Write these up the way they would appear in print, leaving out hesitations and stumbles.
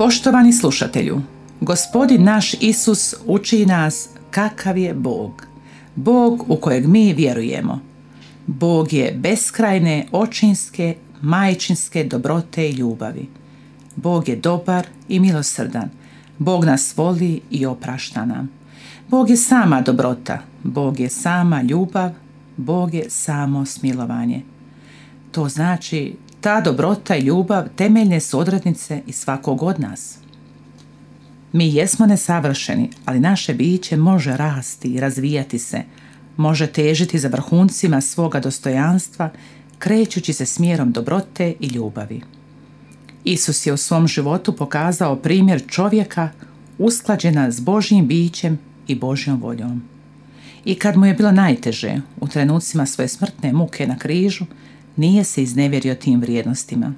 Poštovani slušatelju, Gospodin naš Isus uči nas kakav je Bog. Bog u kojeg mi vjerujemo. Bog je beskrajne, očinske, majčinske dobrote i ljubavi. Bog je dobar i milosrdan. Bog nas voli i oprašta nam. Bog je sama dobrota. Bog je sama ljubav. Bog je samo smilovanje. To znači, ta dobrota i ljubav temeljne su odrednice i svakog od nas. Mi jesmo nesavršeni, ali naše biće može rasti i razvijati se, može težiti za vrhuncima svoga dostojanstva, krećući se smjerom dobrote i ljubavi. Isus je u svom životu pokazao primjer čovjeka usklađena s Božjim bićem i Božjom voljom. I kad mu je bilo najteže, u trenucima svoje smrtne muke na križu, nije se iznevjerio tim vrijednostima.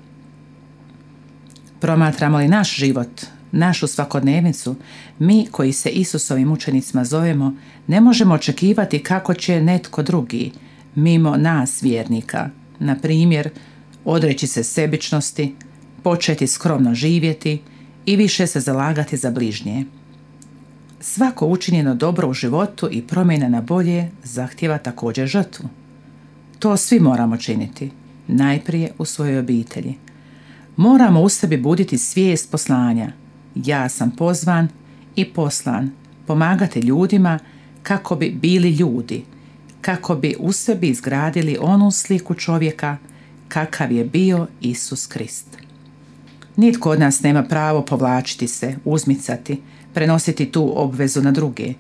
Promatramo li naš život, našu svakodnevnicu, mi koji se Isusovim učenicima zovemo, ne možemo očekivati kako će netko drugi, mimo nas vjernika, na primjer, odreći se sebičnosti, početi skromno živjeti i više se zalagati za bližnje. Svako učinjeno dobro u životu i promjena na bolje zahtijeva također žrtvu. To svi moramo činiti, najprije u svojoj obitelji. Moramo u sebi buditi svijest poslanja. Ja sam pozvan i poslan pomagati ljudima kako bi bili ljudi, kako bi u sebi izgradili onu sliku čovjeka kakav je bio Isus Krist. Nitko od nas nema pravo povlačiti se, uzmicati, prenositi tu obvezu na druge.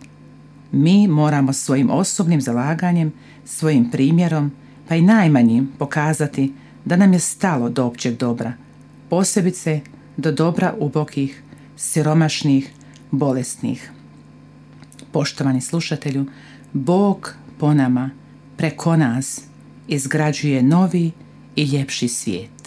Mi moramo svojim osobnim zalaganjem, svojim primjerom, pa i najmanjim pokazati da nam je stalo do općeg dobra, posebice do dobra ubogih, siromašnih, bolesnih. Poštovani slušatelju, Bog po nama, preko nas, izgrađuje novi i ljepši svijet.